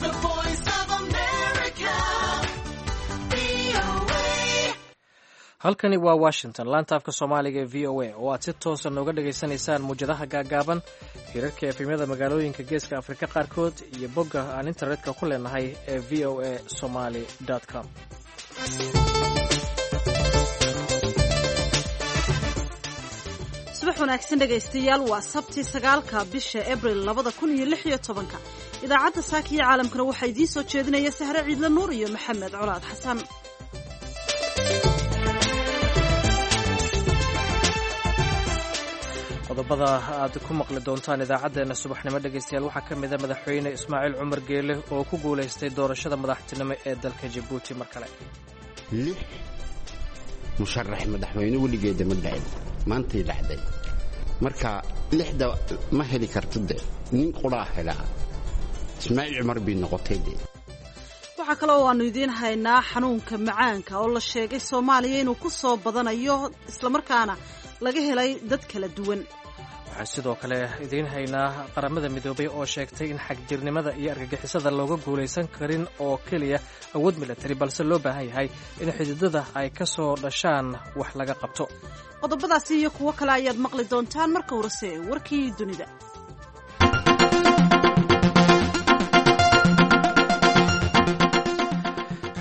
The Voice of America, VOA. Halkani waa Washington, laanta afka Soomaaliga ee VOA oo aad si toosa nooga dhagaysanaysaan muwjadaha gaagaaban, hirarka efemyada magaalooyinka Geeska Afrika qaarkood iyo bogga aan internetka ku leenahay ee voasomali com. Subax wanaagsan dhegaystayaal, waa Sabti 9-ka bisha Abril 2016-ka. Idaacadda saaka iyo caalamkana waxaa idiin soo jeedinaya Sahre Ciidle Nuur iyo Maxamed Colaad Xasan. Qodobada aad ku maqli doontaan idaacaddeenna subaxnimo, dhegaystayaal, waxaa ka mida Madaxweyne Ismaaciil Cumar Geele oo ku guulaystay doorashada madaxtinimo ee dalka Jabuuti mar kale. Lix musharax madaxweyne weligeeda ma dhacin, maantay dhacday. Marka lixda ma heli karto, de nin quraa helaa, Ismaaciil Cumar bay noqotay de. Waxaa kale oo aanu idiin haynaa xanuunka macaanka oo la sheegay Soomaaliya inuu ku soo badanayo, islamarkaana laga helay dad kala duwan. Waxaan sidoo kale idiin haynaa Qaramada Midoobay oo sheegtay in xagjirnimada iyo argagixisada looga guulaysan karin oo keliya awood milatari, balse loo baahan yahay in xididada ay ka soo dhashaan wax laga qabto. Qodobadaasi iyo kuwo kale ayaad maqli doontaan, marka horese warkii dunida.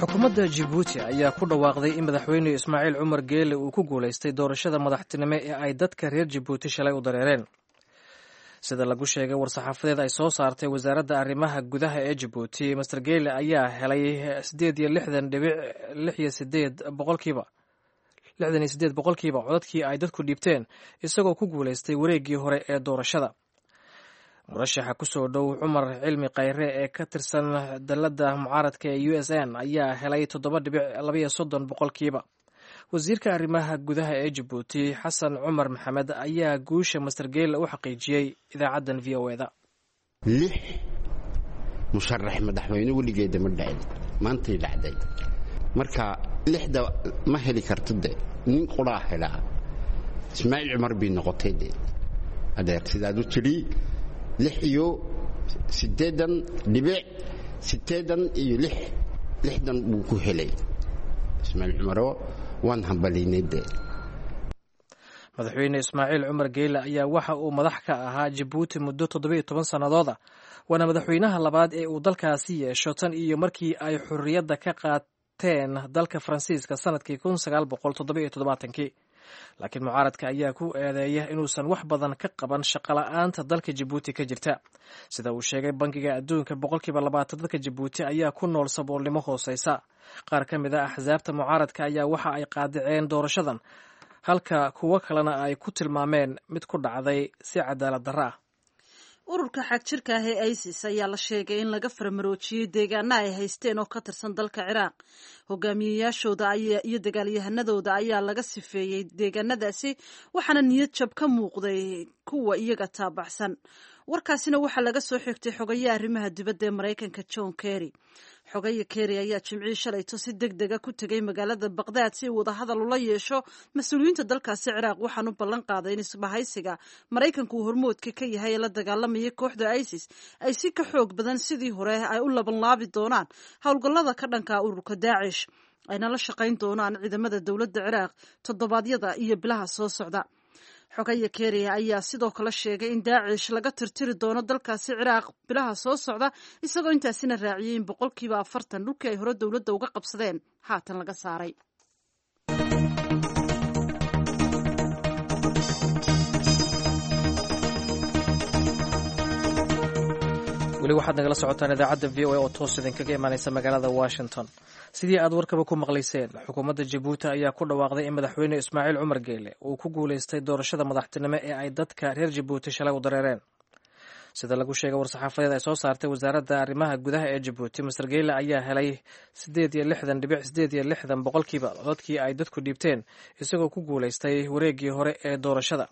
Xukuumadda Jibuuti ayaa ku dhawaaqday in Madaxweyne Ismaaciil Cumar Geele uu ku guulaystay doorashada madaxtinimo ee ay dadka reer Jabuuti shalay u dareereen. Sida lagu sheegay war-saxaafadeed ay soo saartay wasaaradda arrimaha gudaha ee Jabuuti, Master Geele ayaa helay 68.68 boqolkiiba, 68% codadkii ay dadku dhiibteen, isagoo ku guulaystay wareeggii hore ee doorashada. Murashaxa kusoo dhow, Cumar Cilmi Khayre ee ka tirsan dalladda mucaaradka ee USN, ayaa helay 7.32%. Wasiirka arrimaha gudaha ee Jabuuti, Xasan Cumar Maxamed, ayaa guusha Master Geele u xaqiijiyey idaacaddan VOA-da. Lix musharax madaxweyne weligeeda ma dhacin, maantay dhacday. Marka lixda ma heli karto, de nin quraa helaa, Ismaaciil Cumar bay noqotay de. Adeer, sidaad u tidhi, 86.86 60 buu ku helay Ismaaciil Cumaro, waan hambaliynay de. Madaxweyne Ismaaciil Cumar Geyle ayaa waxa uu madax ka ahaa Jabuuti muddo 17 sannadood ah, waana madaxweynaha labaad ee uu dalkaasi yeesho tan iyo markii ay xorriyadda ka qaateen dalka Faransiiska sanadkii 1977-kii. Laakiin mucaaradka ayaa ku eedeeya inuusan wax badan ka qaban shaqola'aanta dalka Jabuuti ka jirta. Sida uu sheegay Bangiga Adduunka, 20% dadka Jabuuti ayaa ku nool saboolnimo hooseysa. Qaar ka mid a axsaabta mucaaradka ayaa waxa ay qaadaceen doorashadan, halka kuwo kalena ay ku tilmaameen mid ku dhacday si cadaalad darro ah. Ururka xagjirka ah ee ISIS ayaa la sheegay in laga faramaroojiyey deegaana ay haysteen oo ka tirsan dalka Ciraaq. Hogaamiyeyaashooda iyo dagaalyahanadooda ayaa laga sifeeyey deegaanadaasi, waxaana niyad jab ka muuqday kuwa iyaga taabacsan. Warkaasina waxaa laga soo xigtay xogayaha arrimaha dibadda ee Maraykanka, John Kerry. Xogaya Kerry ayaa Jimcihii shalayto si deg dega ku tegay magaalada Baqdaad si uu wadahadal ula yeesho mas-uuliyiinta dalkaasi Ciraaq. Waxaan u ballan qaaday in isbahaysiga Maraykanku uu hormoodka ka yahay ee la dagaalamaya kooxda ISIS ay si ka xoog badan sidii hore ay u labanlaabi doonaan howlgallada ka dhanka ururka Daacish, ayna la shaqayn doonaan ciidamada dowladda Ciraaq toddobaadyada iyo bilaha soo socda. Xogaya Kerry ayaa sidoo kale sheegay in Daacish laga tirtiri doono dalkaasi Ciraaq bilaha soo socda, isagoo intaasina raaciyey in 40% dhulkii ay hore dowladda uga qabsadeen haatan laga saaray. Weli waxaad nagala socotaan idaacadda VOA oo toos idinkaga imaaneysa magaalada Washington. Sidii aad warkaba ku maqlayseen, xukuumadda Jabuuti ayaa ku dhawaaqday in Madaxweyne Ismaaciil Cumar Geele uu ku guulaystay doorashada madaxtinimo ee ay dadka reer Jabuuti shalay u dareereen. Sida lagu sheegay war-saxaafadeed ay soo saartay wasaaradda arrimaha gudaha ee Jabuuti, Master Geele ayaa helay 68.68% codadkii ay dadku dhiibteen, isagoo ku guulaystay wareeggii hore ee doorashada.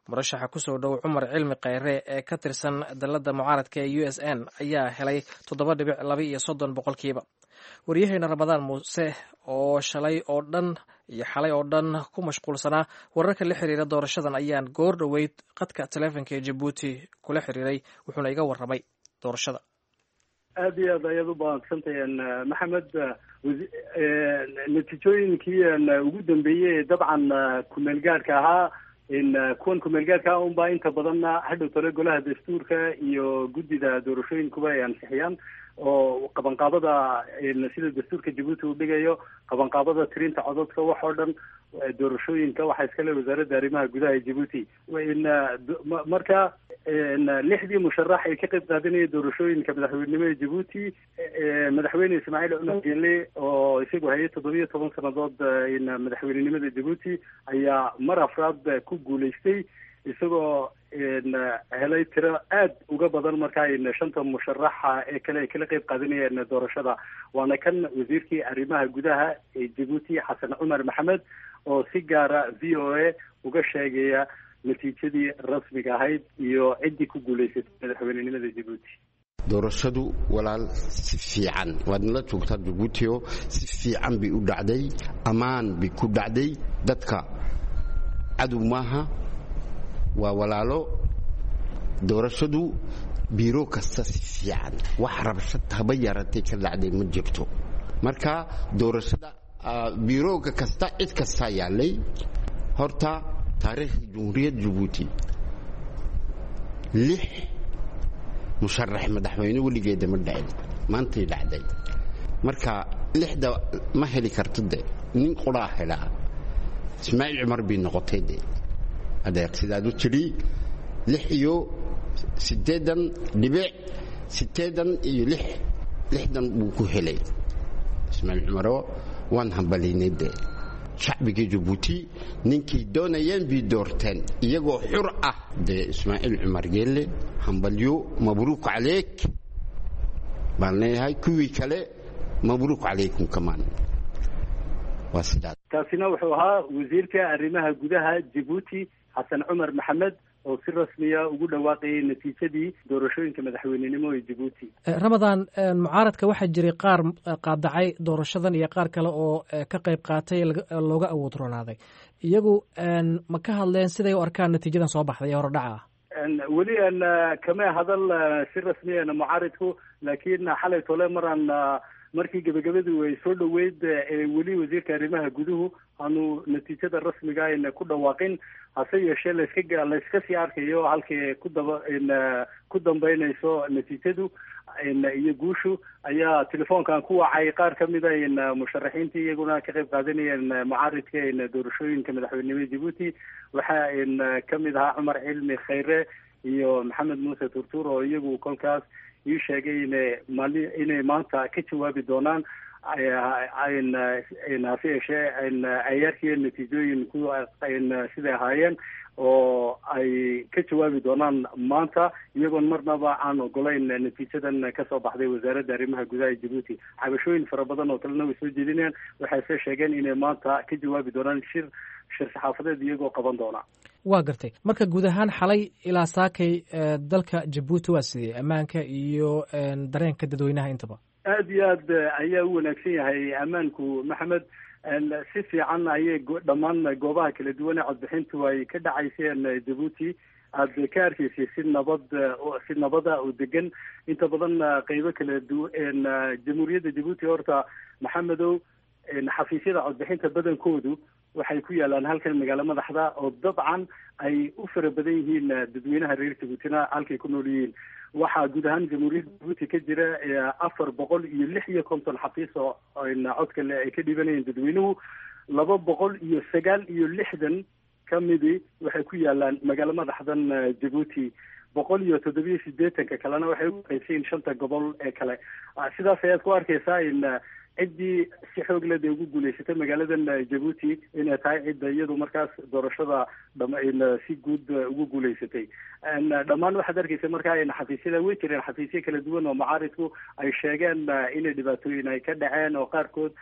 Murashaxa kusoo dhow, Cumar Cilmi Khayre ee ka tirsan dalladda mucaaradka ee USN, ayaa helay 7.32%. Waryaheena Ramadaan Muuse oo shalay oo dhan iyo xalay oo dhan ku mashquulsanaa wararka la xiriira doorashadan ayaan goor dhoweyd qadka taleefonka ee Jabuuti kula xiriiray, wuxuuna iga warramay doorashada. Aad iyo aad ayaad u baadsantahay, Maxamed. Natiijooyinkii ugu dambeeyey dabcan kumeel gaadhka ahaa, kuwan kumeel gaadhka ah unbaa inta badanna hadhow tole golaha dastuurka iyo guddida doorashooyinkuba ay ansixiyaan, oo qabanqaabada sida dastuurka Jabuuti uu dhigayo, qabanqaabada tirinta codadka, wax oo dhan doorashooyinka waxaa iskale wasaaradda arrimaha gudaha ee Jabuuti. Marka lixdii musharax ee ka qayb qaadanaya doorashooyinka madaxweynenimo ee Jabuuti, madaxweyne Ismaaciil Cumar Geele oo isagu hayay 17 sanadood madaxweynenimada Jabuuti ayaa mar afraad ku guulaystay, isagoo helay tiro aad uga badan markaa shanta musharaxa ee kale ay kala qayb qaadanayeen doorashada. Waana kan wasiirkii arrimaha gudaha ee Jabuuti, Xasan Cumar Maxamed, oo si gaara VOA uga sheegaya natiijadii rasmiga ahayd iyo ciddii ku guulaysatay madaxweynenimada Jabuuti. Doorashadu, walaal, si fiican waad nala joogtaa Jabuutio, si fiican bay u dhacday, ammaan bay ku dhacday. Dadka cadow maaha, waa walaalo. Doorashadu biiro kasta si fiican, wax rabshad haba yaratay ka dhacday ma jirto. Marka doorashada biirooga kasta cid kastaa yaallay. Horta taariikhda Jumhuuriyadda Jabuuti lix musharax madaxweyne weligeeda ma dhacin, maantay dhacday. Marka lixda ma heli karto, de nin quraa helaa, Ismaaciil Cumar bay noqotay. De adeer, sidaad u tidhi, 86.86 60 buu ku helay Ismaaciil Cumaro. Waan hambalaynay de shacbigii Jabuuti, ninkay doonayeen bay doorteen iyagoo xur ah. Dee Ismaaciil Cumar Geelle, hambalyo, mabruuk caleyk baan leeyahay. Kuwii kale, mabruuk calaykum kamaan. Waa sidaas. Kaasina wuxuu ahaa wasiirka arrimaha gudaha Jabuuti, Xasan Cumar Maxamed, oo si rasmiya ugu dhawaaqayay natiijadii doorashooyinka madaxweynenimo ee Jabuuti. Ramadaan, mucaaradka waxaa jiray qaar qaadacay doorashadan iyo qaar kale oo ka qayb qaatay looga awood roonaaday. Iyagu ma ka hadleen siday u arkaan natiijadan soo baxday ee horodhaca ah? Weli kama hadal si rasmiya mucaaridku, laakiin xalay tole maraan markii gebagabadu ay soo dhoweyd ee weli wasiirka arrimaha guduhu aanu natiijada rasmiga ayna ku dhawaaqin, hase yeeshee layska sii arkayo halkii ku daba ku dambeynayso natiijadu iyo guushu, ayaa telefoonkan ku wacay qaar ka mid a musharaxiintii iyaguna ka qayb qaadanayeen mucaaridka doorashooyinka madaxweynenimada Jabuuti. Waxaa ka mid ahaa Cumar Cilmi Khayre iyo Maxamed Muuse Turtuur, oo iyagu kolkaas ii sheegay inay inay maanta ka jawaabi doonaan, hase yeeshee ayaarkiiyo natiijooyin ku siday ahaayeen oo ay ka jawaabi doonaan maanta, iyagoon marnaba aan ogolayn natiijadan kasoo baxday wasaaradda arrimaha gudaha ee Jabuuti. Cabashooyin fara badan oo kalena way soo jeedinayaan. Waxayse sheegeen inay maanta ka jawaabi doonaan shir saxaafadeed iyagoo qaban doona. Waa gartay. Marka guud ahaan xalay ilaa saakay dalka Jabuuti waa sidee ammaanka iyo dareenka dadweynaha intaba? Aad iyo aad ayaa u wanaagsan yahay ammaanku, Maxamed. Si fiican ayay dhammaan goobaha kala duwan ee codbixintu ay ka dhacayseen Jabuuti aad ka arkaysay si nabad, si nabada oo degan inta badan qeybo kala duwan jamhuuriyadda Jabuuti. Horta, Maxamedow, xafiisyada codbixinta badankoodu waxay ku yaalaan halkan magaalo madaxda, oo dabcan ay u fara badan yihiin dadweynaha reer Jabuutina halkay ku nool yihiin. Waxaa guud ahaan jamhuuriyadda Jabuuti ka jira 456 xafiis oo codka ay ka dhiibanayeen dadweynuhu. 269 ka midi waxay ku yaalaan magaalo madaxdan Jabuuti, 187-ka kalena waxay u qaybsayiin shanta gobol ee kale. Sidaas ayaad ku arkaysaa in ciddii si xoog leh dee ugu guulaysatay magaaladan Jabuuti inay tahay cidda iyadu markaas doorashada si guud ugu guulaysatay dhammaan. Waxaad arkaysa markaa in xafiisyada way jireen xafiisyo kala duwan oo mucaaridku ay sheegeen inay dhibaatooyin ay ka dhaceen, oo qaarkood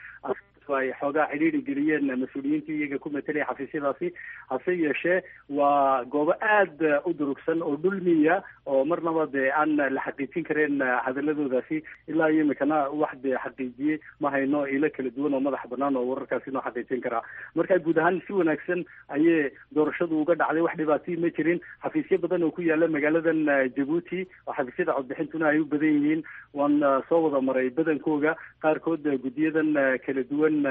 Ay xoogaa xidhiiri geliyeen mas-uuliyiintii iyaga ku matelaya xafiisyadaasi. Hase yeeshee waa goobo aada u durugsan oo dhulmiya oo marnaba dee aan la xaqiijin kareen hadaladoodaasi. Ilaa iyo imikana wax dee xaqiijiyey ma hayno, ilo kala duwan oo madax banaan oo wararkaasi noo xaqiijin karaa. Marka guud ahaan si wanaagsan ayay doorashadu uga dhacday, wax dhibaatay ma jirin. Xafiisyo badan oo ku yaala magaaladan Jabuuti oo xafiisyada codbixintuna ay u badan yihiin waan soo wada maray badankooga. Qaarkood guddiyadan kala duwan,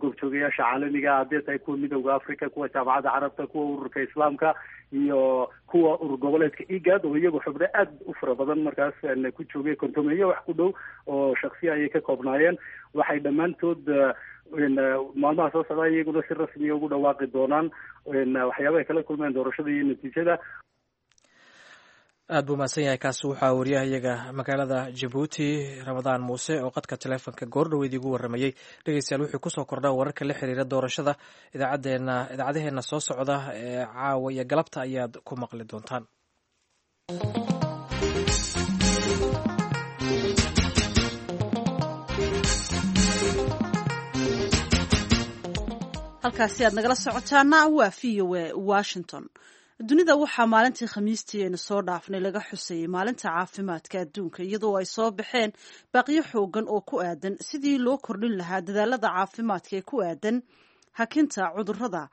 goobjoogayaasha caalamiga haddii tahay, kuwa Midowda Africa, kuwa Jaamacadda Carabta, kuwa Ururka Islaamka iyo kuwa urur goboleedka IGAD, oo iyagu xubno aada u fara badan markaas ku joogay, kontomeeyo wax ku dhow oo shaksiya ayay ka koobnaayeen, waxay dhammaantood maalmaha soo socdaa iyaguna si rasmiya ugu dhawaaqi doonaan waxyaaba ay kala kulmeen doorashada iyo natiijada. Aad buu mahadsan yahay. Kaasi waxaa wariyahayaga magaalada Jabuuti, Ramadaan Muuse, oo qadka taleefonka goordhoweyd igu warramayey. Dhegeystayaal, wuxuu kusoo kordhaa wararka la xiriira doorashada idaacadeena, idaacadaheenna soo socda ee caawa iyo galabta ayaad ku maqli doontaan. Halkaasi aad nagala socotaana waa VOA Washington. Dunida waxaa maalintii Khamiistii aynu soo dhaafnay laga xusayay Maalinta Caafimaadka Adduunka, iyadoo ay soo baxeen baaqyo xoogan oo ku aadan sidii loo kordhin lahaa dadaalada caafimaadka ee ku aadan hakinta cudurrada,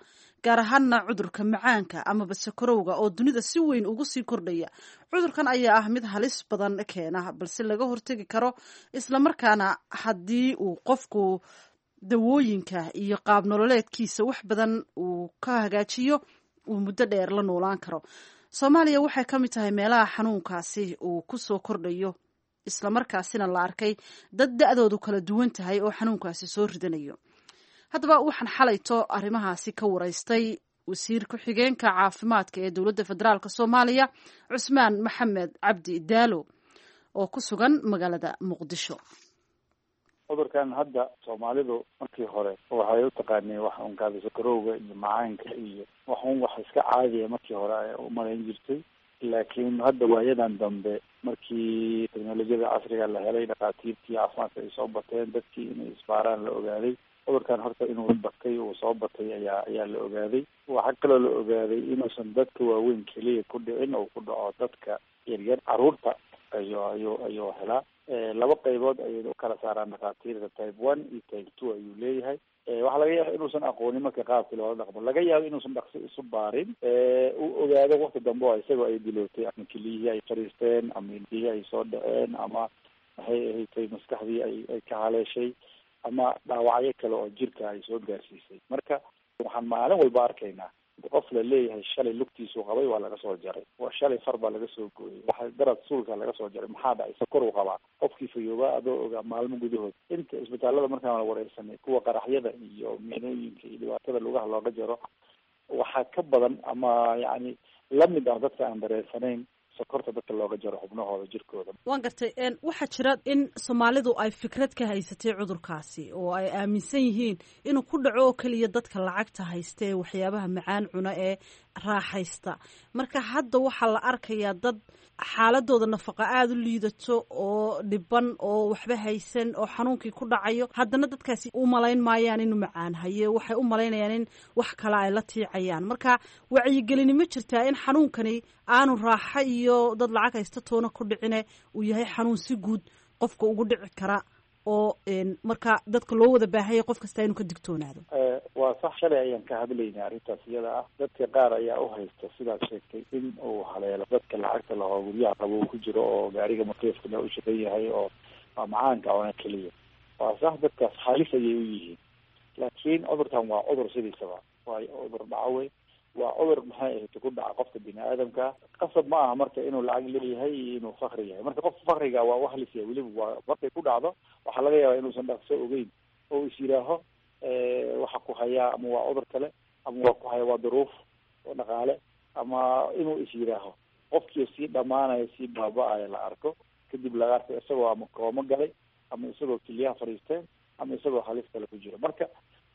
gaar ahaana cudurka macaanka amaba sakarowga oo dunida si weyn ugu sii kordhaya. Cudurkan ayaa ah mid halis badan keena, balse laga hortegi karo, islamarkaana haddii uu qofku dawooyinka iyo qaab nololeedkiisa wax badan uu ka hagaajiyo, uu muddo dheer la noolaan karo. Soomaaliya waxay ka mid tahay meelaha xanuunkaasi uu ku soo kordhayo, islamarkaasina la arkay dad da-doodu kala duwan tahay oo xanuunkaasi soo ridanayo. Haddaba waxaan xalayto arrimahaasi ka waraystay wasiir ku-xigeenka caafimaadka ee Dowladda Federaalk Soomaaliya, Cusmaan Maxamed Cabdi Daalo, oo ku sugan magaalada Muqdisho. Cudurkan hadda Soomaalidu markii hore waxay u taqaaneen wax un kaada sokorowga iyo macaanka iyo wax un wax iska caadiya markii hore ay u malayn jirtay. Laakiin hadda waayadan dambe, markii teknolojiyada casriga la helay, dhakhaatiirtii caafimaadka ay soo bateen, dadkii inay isbaaraan la ogaaday, cudurkan horta inuu batay, uu soo batay ayaa la ogaaday. Waxaa kaloo la ogaaday inuusan dadka waaweyn keliya ku dhicin oo ku dhaco dadka yaryar, caruurta ayuu helaa. Laba qaybood ayay u kala saaraan dhakhaatiirta, type 1 iyo type 2 ayuu leeyahay. Waxaa laga yaaba inuusan aqoonin marka qaabkii loola dhaqmo, laga yaabo inuusan dhaqso isu baarin, uu ogaado waqti dambe oo isagoo ay dilootay ama keliyihii ay fariisteen ama indhihii ay soo dhaceen ama maxay ahatay maskaxdii ay ka haleeshay ama dhaawacyo kale oo jirka ay soo gaarsiisay. Marka waxaan maalin walba arkaynaa qof la leeyahay shalay lugtiisuu qabay waa laga soo jaray, shalay far baa laga soo gooyay, waxa darad suulka laga soo jaray. Maxaa dhacay? Sokoruu qabaa. Qofkii fayoobaa adoo ogaa maalmo gudahood. Inta isbitaalada markaan la wareysanay, kuwa qaraxyada iyo miinooyinka iyo dhibaatada lugaha looga jaro waxaa ka badan ama yacni lamid ah dadka aan dareensanayn sokorta dadka looga jaro xubnahooda jirkooda. Waan gartay. Waxaa jira in Soomaalidu ay fikrad ka haysatay cudurkaasi oo ay aaminsan yihiin inuu ku dhaco oo keliya dadka lacagta haysta ee waxyaabaha macaan cuna ee raaxaysta. Marka hadda waxaa la arkayaa dad xaaladooda nafaqa aada u liidato oo dhiban oo waxba haysan oo xanuunkii ku dhacayo. Haddana dadkaasi u malayn maayaan inuu macaan hayo, waxay u malaynayaan in wax kale ay la tiicayaan. Marka wacyigelini ma jirtaa in xanuunkani aanu raaxo iyo dad lacag haysta toona ku dhicine, uu yahay xanuun si guud qofka ugu dhici kara oo marka dadka loo wada baahanya qof kasta inuu ka digtoonaado? Waa sax. Shalay ayaan ka hadlaynay arrintaas iyada ah. Dadka qaar ayaa u haysta sidaad sheegtay in uu haleelo dadka lacagta lahoo, guryaha qabow ku jiro oo gaariga makiifkana u shaqan yahay oo macaanka oona keliya. Waa sax, dadkaas halis ayay u yihiin, laakiin cudurkan waa cudur sidiisaba waa cudur dhacawey, waa cudur maxay ahayd ku dhaca qofka bini aadamka. Qasab ma aha marka inuu lacag leeyahay iyo inuu fakri yahay. Marka qofka fakriga waa u halis yahay weliba, waa markay ku dhacdo waxaa laga yaabaa inuusan dhaqso ogeyn oo is yidhaaho waxa ku hayaa ama waa cudur kale ama waa ku haya waa duruuf dhaqaale, ama inuu is yidhaaho qofkii sii dhamaanaya, sii baaba-aya la arko, kadib laga arko isagoo ama koomo galay ama isagoo keliyaha fadhiisteen ama isagoo halis kale ku jiro. Marka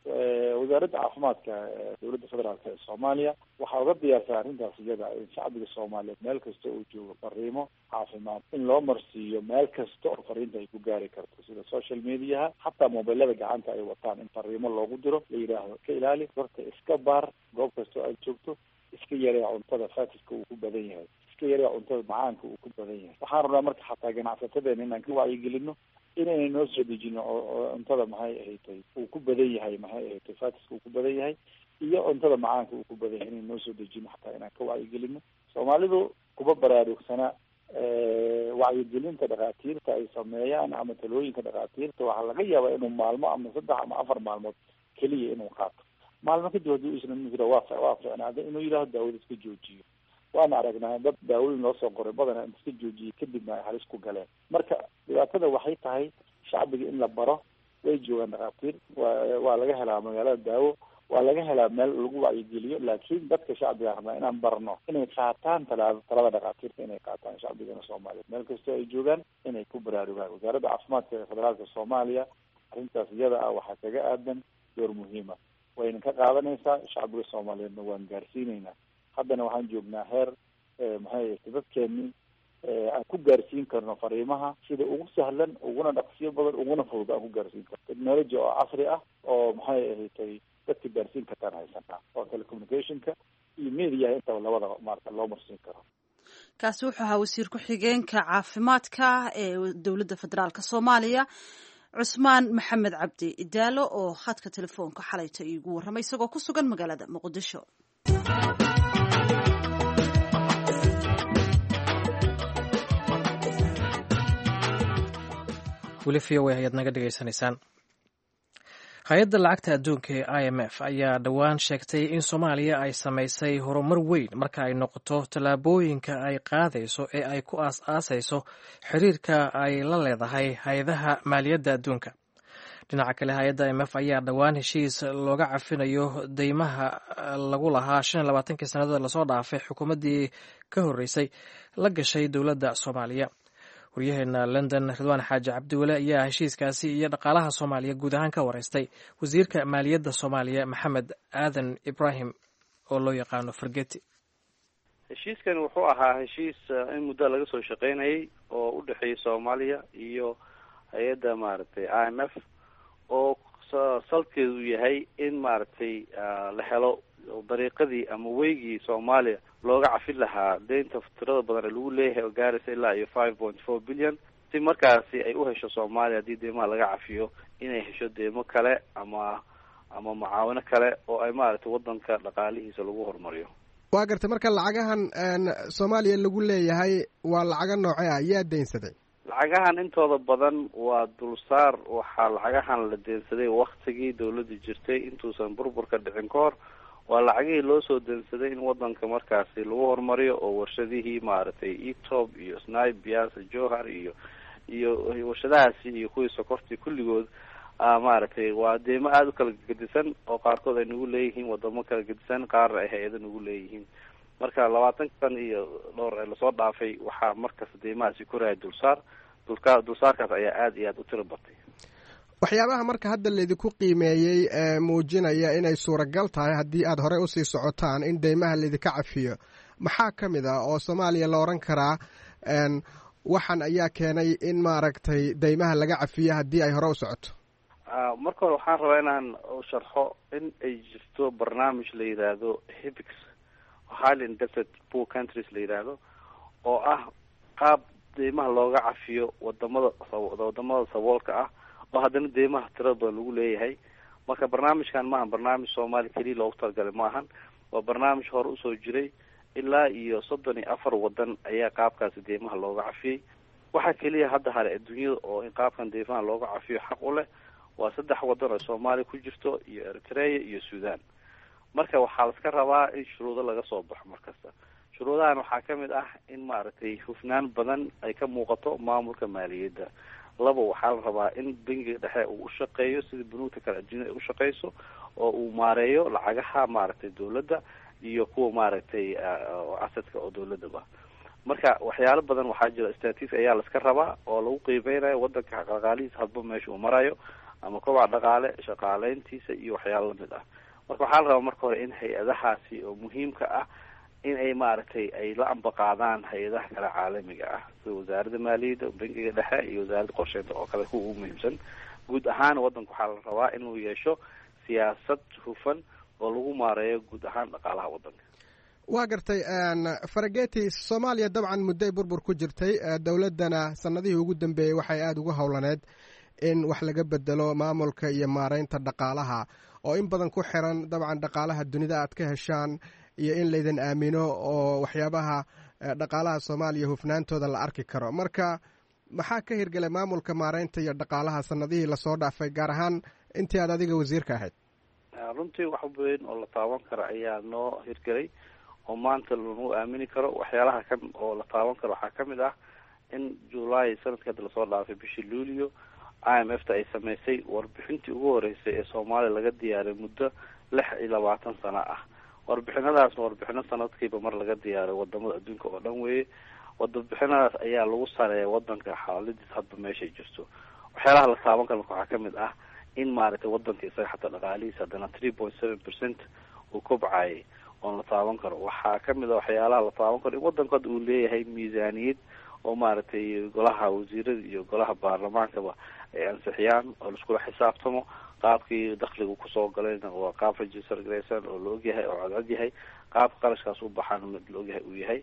Wasaaradda caafimaadka dowladda federaalk ee Soomaaliya waxaa uga diyaarsan arrintaas iyada in shacbiga Soomaaliyeed meel kasta uu joogo fariimo caafimaad in loo marsiiyo meel kasta oo fariinta ay ku gaari karto, sida social mediaha, xataa mobilada gacanta ay wataan in fariimo loogu diro, la yidhaahdo iska ilaali horta, iska baar goob kasta oo aad joogto, iska yaree cuntada fatiska uu ku badan yahay, iska yaree cuntada macaanka uu ku badan yahay. Waxaan rabnaa marka xataa ganacsatadeena inaan ka wacyigelino inayna noo soo dejino oo cuntada maxay ahatay uu ku badan yahay, maxay ahatay fatiska uu ku badan yahay iyo cuntada macaanka uu ku badan yahay, inayna noo soo dejino, xataa inaan ka wacyigelino. Soomaalidu kuma baraarugsana wacyigelinta dhakhaatiirta ay sameeyaan ama talooyinka dhakhaatiirta. Waxaa laga yaabaa inuu maalmo ama 3 ama 4 maalmood keliya inuu qaato, maalmo kadib haddii isna jira waa ficnaaday inuu yidhahdo daawada iska joojiyo. Waana aragnaa dad daawooyin loo soo qoray badana in iska joojiyey kadibna ay halis ku galeen. Marka dhibaatada waxay tahay shacbiga in la baro. Way joogaan dhakhaatiir, waa laga helaa magaalada daawo, waa laga helaa meel lagu wacyigeliyo, laakiin dadka shacbiga rabnaa inaan barno inay qaataan talada dhakhaatiirta, inay qaataan. Shacbigana Soomaaliya meel kastoo ay joogaan inay ku baraarugaan. Wasaaradda caafimaadka ee federaalka Soomaaliya arrintaas iyada ah waxaa kaga aadan door muhiima, wayna ka qaadanaysaa, shacbiga Soomaaliyeedna waan gaarsiineynaa. Haddana waxaan joognaa heer maxay ahayd dadkeeni aan ku gaarsiin karno fariimaha sida ugu sahlan, uguna dhaqsiyo badan, uguna fudud aan ku gaarsiin karno. Technology oo casri ah oo maxay ahatay dadka gaarsiin kartaan haysanaa, oo telecommunicationka iyo mediaha intaba labadaba maarata loo marsiin karo. Kaasi wuxuu ahaa wasiir ku-xigeenka caafimaadka ee dowladda federaalk Soomaaliya, Cusmaan Maxamed Cabdi Idaalo, oo khadka telefoonka xalayta iigu warramay isagoo ku sugan magaalada Muqdisho. Weli VOA ayaad naga dhegaysanaysaan. Hay-adda lacagta adduunka ee IMF ayaa dhowaan sheegtay in Soomaaliya ay samaysay horumar weyn marka ay noqoto tallaabooyinka ay qaadayso ee ay ku aas-aasayso xiriirka ay la leedahay hay-adaha maaliyadda adduunka. Dhinaca kale, hay-adda IMF ayaa dhowaan heshiis looga cafinayo deymaha lagu lahaa 25-kii sanadada lasoo dhaafay xukuumaddii ka horreysay la gashay dowladda Soomaaliya. Waryaheena London, Ridwaan Xaaji Cabdiwale, ayaa heshiiskaasi iyo dhaqaalaha Soomaaliya guud ahaan ka wareystay wasiirka maaliyadda Soomaaliya, Maxamed Aadan Ibraahim, oo loo yaqaano Fargeti. Heshiiskan wuxuu ahaa heshiis in muddo laga soo shaqeynayay oo u dhexeeyay Soomaaliya iyo hay-adda maaragtay IMF, oo salkeedu yahay in maaragtay la helo dariiqadii ama weygii Soomaaliya looga cafin lahaa deynta tirada badan ee lagu leeyahay oo gaaraysa ilaa iyo 5.4 billion, si markaasi ay u hesho Soomaaliya haddii deymaha laga cafiyo inay hesho deymo kale ama mucaawino kale oo ay maaragtay wadanka dhaqaalihiisa lagu horumariyo. Waa gartay. Marka lacagahan Soomaaliya lagu leeyahay waa lacago noocee ah? Yaa deynsaday? Lacagahan intooda badan waa dulsaar. Waxaa lacagahan la deensaday waktigii dawladda jirtay, intuusan burburka dhicin ka hor. Waa lacagihii loo soo deensaday in wadanka markaasi lagu horumariyo, oo warshadihii maaragtay etob iyo snibias johar iyo warshadahaasi iyo kuwii sokortii kulligood maaragtay. Waa deemo aada u kala gedisan oo qaarkood ay nagu leeyihiin wadamo kala gedisan, qaarna ay hay-ado nagu leeyihiin. Marka 20 san iyo dhowr ee lasoo dhaafay waxaa markasta deymahaasi koraya dulsaar dulsaarkaas ayaa aada iyo aada u tiro batay. Waxyaabaha marka hadda laydinku qiimeeyey ee muujinaya inay suuragal tahay haddii aad horey usii socotaan in deymaha laydinka cafiyo maxaa ka mid ah oo Soomaaliya la odhan karaa waxan ayaa keenay in maaragtay deymaha laga cafiyo haddii ay hore u socoto? Marka hore waxaan rabaa inaan sharxo in ay jirto barnaamij la yidhaahdo HIPCs, Highly Indebted Poor Countries la yidhaahdo, oo ah qaab deymaha looga cafiyo wadamada saboolka ah oo haddana deymaha tirada badan lagu leeyahay. Marka barnaamijkan maahan barnaamij Soomaaliya keliya loogu talagalay, maahan. Waa barnaamij hore usoo jiray, ilaa iyo 34 wadan ayaa qaabkaasi deymaha looga cafiyey. Waxaa keliya hadda hare adduunyada oo in qaabkan deymaha looga cafiyo xaq u leh waa saddex wadan oo Soomaaliya ku jirto iyo Eritrea iyo Sudan. Marka waxaa laska rabaa in shuruudo laga soo baxo markasta. Shuruudahan waxaa ka mid ah in maaragtay hufnaan badan ay ka muuqato maamulka maaliyadda. Labo, waxaa la rabaa in bangiga dhexe uu ushaqeeyo sida bunuugta kale adduunyada ay ushaqeyso, oo uu maareeyo lacagaha maaragtay dawladda iyo kuwa maaragtay asadka oo dawladaba. Marka waxyaalo badan waxaa jira, statis ayaa laska rabaa oo lagu qiimeynayo wadanka dhaqaalihiisa hadba meesha uu marayo. Ama kobaca dhaqaale, shaqaaleyntiisa iyo waxyaalo lamid ah. Marka waxaa la rabaa marka hore in hay-adahaasi oo muhiimka ah in ay maaragtay ay la ambaqaadaan hay-adaha kale caalamiga ah, sida wasaaradda maaliyadda, bangiga dhexe iyo wasaaradda qorsheynta oo kale, kuwa ugu muhiimsan. Guud ahaan waddanka waxaa la rabaa inuu yeesho siyaasad hufan oo lagu maareeyo guud ahaan dhaqaalaha waddanka. Waa gartay, Farageti. Soomaaliya dabcan mudday burbur ku jirtay, dowladdana sanadihii ugu dambeeyey waxay aada ugu howlaneed in wax laga bedelo maamulka iyo maareynta dhaqaalaha, oo in badan ku xiran dabcan dhaqaalaha dunida aad ka heshaan iyo in laydin aamino oo waxyaabaha dhaqaalaha Soomaaliya hufnaantooda la arki karo. Marka maxaa ka hirgelay maamulka maareynta iyo dhaqaalaha sanadihii lasoo dhaafay, gaar ahaan intii aad adiga wasiirka ahayd? Runtii wax weyn oo la taaban karo ayaa noo hirgelay oo maanta lagu aamini karo. Waxyaalaha ka oo la taaban karo waxaa kamid ah in July sanadka hadda lasoo dhaafay, bishii Luulio, IMF ta ay sameysay warbixintii ugu horeysay ee Soomaaliya laga diyaariy muddo 26 sano ah. Warbixinadaasna warbixino sanadkiiba mar laga diyaariyo wadamada adduunka oo dhan weeye. Warbixinadaas ayaa lagu sareeya wadanka xaaladiis hadba meeshay jirto. Waxyaalaha la taaban karo marka waxaa kamid ah in maaragtay wadanka isaga xataa dhaqaalihiisa haddana 3.7% uu kobcayay oon la taaban karo. Waxaa kamid a waxyaalaha la taaban karo in wadanku hadda uu leeyahay miisaaniyad oo maaragtay golaha wasiirada iyo golaha baarlamaankaba ay ansixiyaan oo laiskula xisaabtamo. Qaabkii dakhligu kusoo galayna waa qaab register garaysan oo la ogyahay oo codcod yahay, qaabka qarashkaas u baxaan mid la ogyahay uu yahay.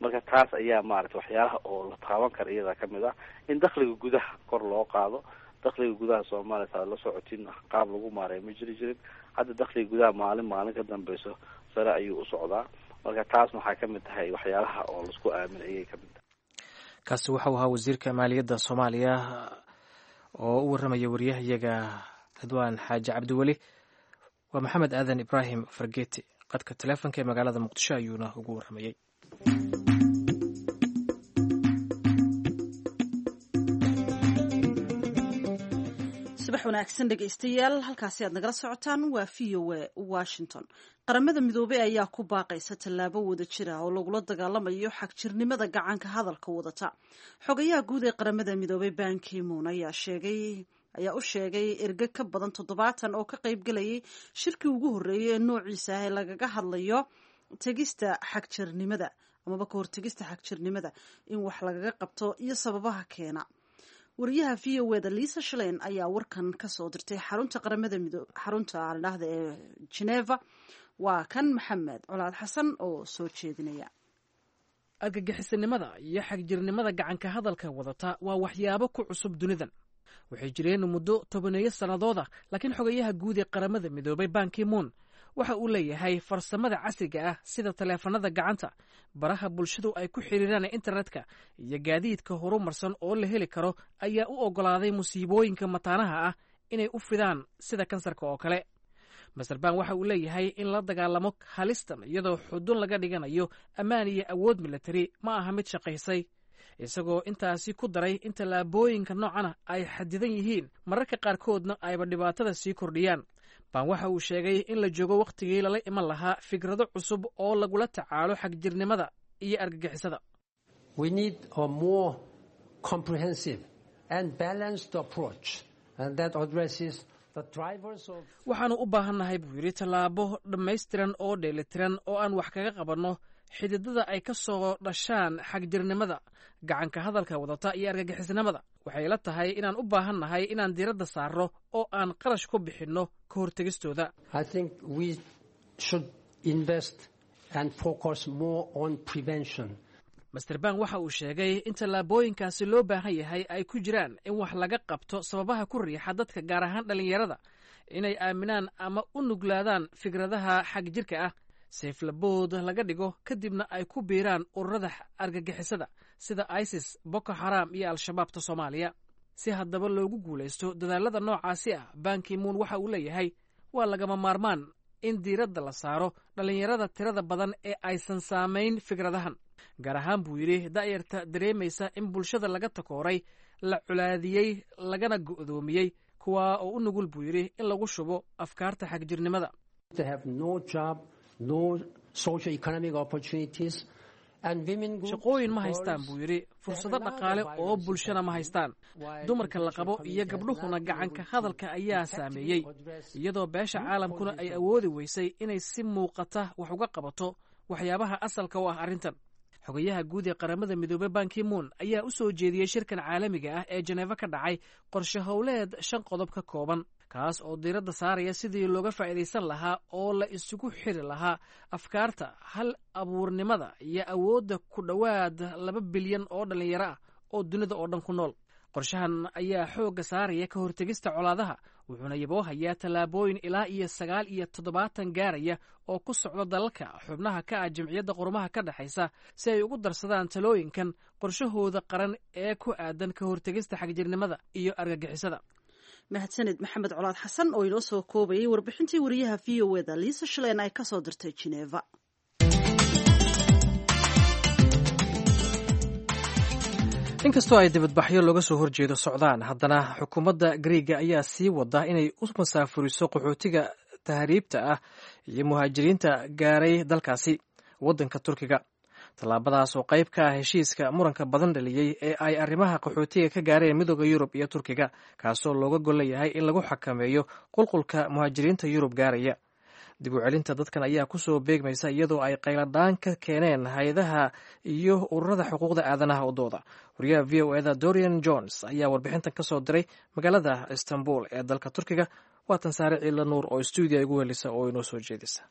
Marka taas ayaa maaragtay waxyaalaha oo la taaban kara iyadaa kamid ah in dakhliga gudaha kor loo qaado. Dakhliga gudaha Soomaaliya, saad la socotiin, qaab lagu maareeyo ma jiri jirin. Hadda dakhliga gudaha maalin maalin ka dambeyso sare ayuu u socdaa. Marka taasna waxaa kamid tahay waxyaalaha oo laisku aamin ayay kamid tahay. Kaasi waxau ahaa wasiirka maaliyadda Soomaaliya oo u warramaya wariyahayaga Ridwaan Xaaji Cabdiweli. Waa Maxamed Aadan Ibraahim Fargeti. Qadka taleefonka ee magaalada Muqdisho ayuuna ugu warramayey. Subax wanaagsan dhegaystayaal, halkaasi aad nagala socotaan waa VOA Washington. Qaramada Midoobey ayaa ku baaqaysa tallaabo wada jir ah oo lagula dagaalamayo xagjirnimada gacanka hadalka wadata. Xogayaha guud ee Qaramada Midoobey Ban Ki-moon ayaa sheegay ayaa u sheegay erge ka badan 70 oo ka qaybgalayay shirkii ugu horreeyay ee noociisa ah ee lagaga hadlayo tegista xagjirnimada amaba ka hortegista xagjirnimada in wax lagaga qabto iyo sababaha keena. Wariyaha VOA da Lisa Schlein ayaa warkan kasoo dirtay xarunta Qaramada Midoobe, xarunta aldhahda ee Geneva. Waa kan Maxamed Colaad Xasan oo soo jeedinaya. Argagixisanimada iyo xagjirnimada gacanka hadalka wadata waa waxyaabo ku cusub dunidan. Waxay jireen muddo tobaneeyo sannadooda, laakiin xogayaha guud ee Qaramada Midoobay Ban Ki-moon waxa uu leeyahay farsamada casriga ah, sida taleefanada gacanta, baraha bulshadu ay ku xiriiraan internetka iyo gaadiidka horumarsan oo la heli karo, ayaa u oggolaaday musiibooyinka mataanaha ah inay u fidaan sida kansarka oo kale. Mister Ban waxa uu leeyahay in la dagaalamo halistan iyadoo xudun laga dhiganayo ammaan iyo awood militari ma aha mid shaqaysay, isagoo intaasi ku daray in tallaabooyinka noocana ay xadidan yihiin, mararka qaarkoodna ayba dhibaatada sii kordhiyaan. Ban waxa uu sheegay in la joogo wakhtigii lala iman lahaa fikrado cusub oo lagula tacaalo xagjirnimada iyo argagixisada. We need a more comprehensive and balanced approach that addresses the drivers of Waxaanu u baahannahay, buu yidhi, tallaabo dhammaystiran oo dheelitiran oo aan wax kaga qabanno xididada ay ka soo dhashaan xagjirnimada gacanka hadalka wadata iyo argagixisnimada. Waxay la tahay inaan u baahannahay inaan diiradda saarno oo aan qarash ku bixinno ka hortegistooda. I think we should invest and focus more on prevention. Mister Ban waxa uu sheegay in tallaabooyinkaasi loo baahan yahay ay ku jiraan in wax laga qabto sababaha ku riixa dadka, gaar ahaan dhallinyarada, inay aaminaan ama u nuglaadaan fikradaha xagjirka ah, seeflabood laga dhigo, kadibna ay ku biiraan ururada argagixisada sida ISIS, Boko Xaram iyo Al-Shabaabta Soomaaliya. Si haddaba loogu guulaysto dadaalada noocaasi ah, Ban Ki-moon waxa uu leeyahay waa lagama maarmaan in diiradda la saaro dhallinyarada tirada badan ee aysan saamayn fikradahan, gaar ahaan, buu yidhi, da'yarta dareemaysa in bulshada laga takooray, la colaadiyey, lagana go'doomiyey, kuwaa oo u nugul, buu yidhi, in lagu shubo afkaarta xagjirnimada. They have no job, no socio-economic opportunities, And women groups, Shaqooyin ma haystaan, girls, buu yidhi. Fursado dhaqaale oo bulshana ma haystaan. Dumarka la qabo iyo gabdhuhuna gacanka hadalka ayaa saameeyey, iyadoo beesha caalamkuna ay awoodi weysay inay si muuqata wax uga qabato waxyaabaha asalka u ah arrintan. Xogayaha guud ee Qaramada Midoobey Bankimuun ayaa u soo jeediyey shirkan caalamiga ah ee Janeefo ka dhacay qorshe howleed shan qodob ka kooban, kaas oo diiradda saaraya sidii looga faa'iidaysan lahaa oo la isugu xiri lahaa afkaarta, hal abuurnimada iyo awoodda ku dhowaad 2 bilyan oo dhallinyaro ah oo dunida oo dhan ku nool. Qorshahan ayaa xoogga saaraya ka hortegista colaadaha, wuxuuna yaboohayaa tallaabooyin ilaa iyo 79 gaaraya oo ku socda dalalka xubnaha ka ah Jamciyadda Qurumaha ka Dhexaysa si ay ugu darsadaan talooyinkan qorshahooda qaran ee ku aadan ka hortegista xagjirnimada iyo argagixisada. Mahadsaned Maxamed Colaad Xasan oo inoo soo koobayay warbixintii wariyaha VOA-da Liisa Shaleen ay kasoo dirtay Jineeva. Inkastoo ay dibadbaxyo looga soo horjeedo socdaan, haddana xukuumadda Griiga ayaa sii wada inay u masaafuriso qaxootiga tahriibta ah iyo muhaajiriinta gaaray dalkaasi waddanka Turkiga, tallaabadaas oo qayb ka ah heshiiska muranka badan dhaliyey ee ay arrimaha qaxootiga ka gaareen Midooda Yurub iyo Turkiga, kaasoo looga golleeyahay in lagu xakameeyo qulqulka muhaajiriinta Yurub gaaraya. Dib u celinta dadkan ayaa kusoo beegmaysa iyadoo ay qayladhaan ka keeneen hay-adaha iyo ururada xuquuqda aadanaha u dooda. Wariyaha VOA-da Dorian Jones ayaa warbixintan ka soo diray magaalada Istanbul ee dalka Turkiga. Waatan Saare Ciila Nuur oo stuudiya igu helisa oo inoo soo jeedisa.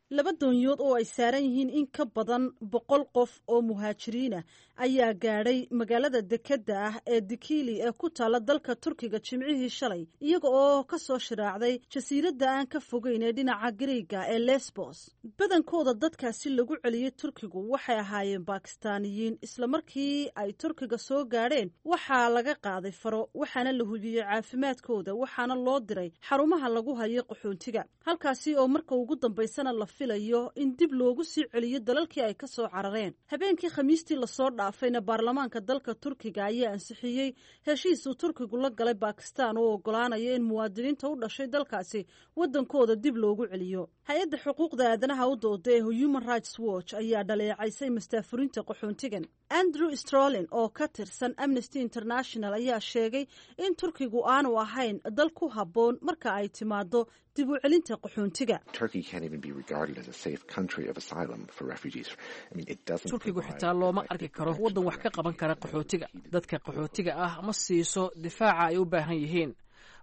Laba doonyood oo ay saaran yihiin in ka badan 100 qof oo muhaajiriin ah ayaa gaadhay magaalada dekedda ah ee Dikili ee ku taalla dalka Turkiga jimcihii shalay, iyaga oo ka soo shiraacday jasiiradda aan ka fogeyn ee dhinaca Gariiga ee Lesbos. Badankooda dadkaasi lagu celiyey Turkigu waxay ahaayeen Bakistaaniyiin. Islamarkii ay Turkiga soo gaadheen waxaa laga qaaday faro, waxaana la hubiyey caafimaadkooda, waxaana loo diray xarumaha lagu hayo qaxoontiga, halkaasi oo marka ugu dambaysana la filayo in dib loogu sii celiyo dalalkii ay ka soo carareen. Habeenkii Khamiistii lasoo dhaafayna baarlamaanka dalka Turkiga ayaa ansixiyey heshiis uu Turkigu la galay Bakistan oo ogolaanaya in muwaadiniinta u dhashay dalkaasi waddankooda dib loogu celiyo. Hay-adda xuquuqda aadanaha u dooda ee Human Rights Watch ayaa dhaleecaysay mastaafurinta qaxoontigan. Andrew Strolin oo ka tirsan Amnesty International ayaa sheegay in Turkigu aanu ahayn dal ku habboon marka ay timaado dib u celinta qaxoontiga. Turkigu xitaa looma arki karo waddan wax ka qaban kara qaxootiga. Dadka qaxootiga ah ma siiso difaaca ay u baahan yihiin,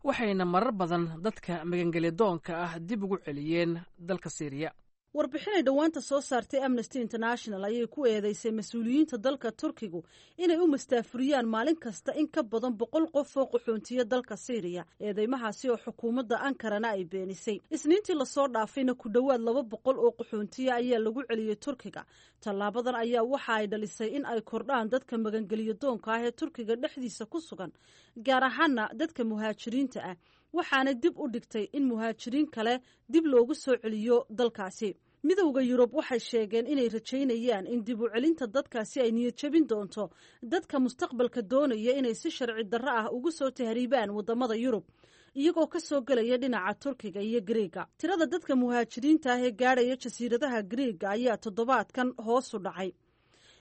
waxayna marar badan dadka magangelyadoonka ah dib ugu celiyeen dalka Siiriya. Warbixinay dhowaanta soo saartay Amnesty International ayay ku eedeysay mas-uuliyiinta dalka Turkigu inay u mastaafuriyaan maalin kasta in ka badan 100 qof oo qaxoontiya dalka Siiriya, eedeymahaasi oo xukuumadda Ankarana ay beenisay. Isniintii lasoo dhaafayna ku dhowaad 200 oo qaxoontiya ayaa lagu celiyey Turkiga. Tallaabadan ayaa waxa ay dhalisay in ay kordhaan dadka magangeliyo doonka ah ee Turkiga dhexdiisa ku sugan, gaar ahaana dadka muhaajiriinta ah, waxaana dib u dhigtay in muhaajiriin kale dib loogu soo celiyo dalkaasi. Midowda Yurub waxay sheegeen inay rajaynayaan in dib u celinta dadkaasi ay niyad jebin doonto dadka mustaqbalka doonaya inay si sharci darro ah ugu soo tahriibaan waddamada Yurub iyagoo ka soo gelaya dhinaca Turkiga iyo Griiga. Tirada dadka muhaajiriinta ah ee gaadhaya jasiiradaha Griiga ayaa toddobaadkan hoos u dhacay.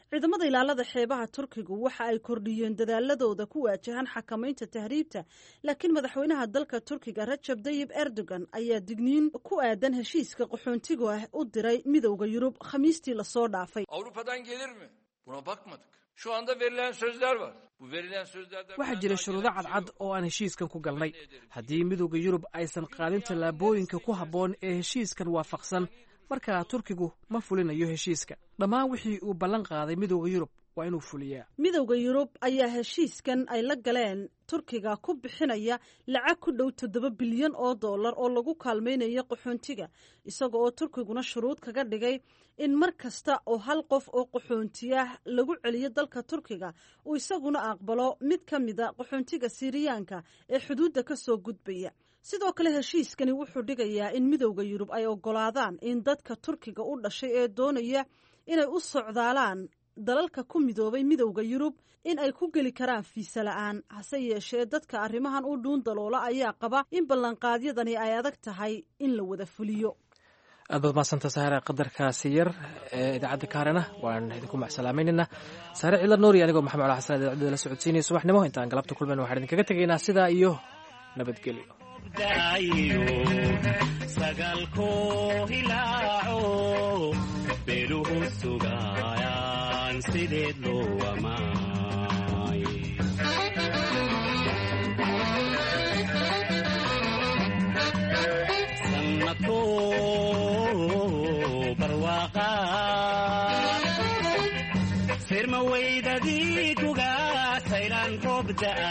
Ciidamada ilaalada xeebaha Turkigu waxa ay kordhiyeen dadaaladooda ku waajahan xakamaynta tahriibta, laakiin madaxweynaha dalka Turkiga Rajab Dayib Erdogan ayaa digniin ku aadan heshiiska qaxoontiga ah u diray Midowda Yurub Khamiistii lasoo dhaafay. Avrupa'dan gelir mi? Buna bakmadık. Şu anda verilen sözler var. Bu verilen sözlerden Waxaa jira shuruudo cadcad oo aan heshiiskan ku galnay. Haddii Midowda Yurub aysan qaadin tallaabooyinka ku habboon ee heshiiskan waafaqsan, markaa Turkigu ma fulinayo heshiiska. Dhammaan wixii uu ballan qaaday Midowda Yurub waa inuu fuliyaa. Midowda Yurub ayaa heshiiskan ay la galeen Turkiga ku bixinaya lacag ku dhow 7 bilyan oo dollar oo lagu kaalmaynayo qaxoontiga, isaga oo Turkiguna shuruud kaga dhigay in mar kasta oo hal qof oo qaxoontiyah lagu celiyo dalka Turkiga uu isaguna aqbalo mid ka mida qaxoontiga Siiriyaanka ee xuduudda ka soo gudbaya. Sidoo kale heshiiskani wuxuu dhigayaa in Midowda Yurub ay ogolaadaan in dadka Turkiga u dhashay ee doonaya inay u socdaalaan dalalka ku midoobay Midowda Yurub in ay ku geli karaan fiisa la'aan. Hase yeeshee, dadka arrimahan u dhuun daloola ayaa qaba in ballanqaadyadani ay adag tahay in la wada fuliyo. Aad baad mahadsanta Saare. Qadarkaasi yar ee idaacadda kaarena waan idinku macsalaamaynaynaa. Saare Cidla Nuur iyo anigoo Maxamed Cala Xasan idaacadda la socodsiinaya subaxnimo. Intaan galabta kulmayna waxaan idinkaga tegaynaa sidaa iyo nabadgelyo. Sagaalkoo hilaaco beeluhu sugaayaan sideed loo amaay sannadkoo barwaaqa sirma weydadii kuga saylaan roob da'a.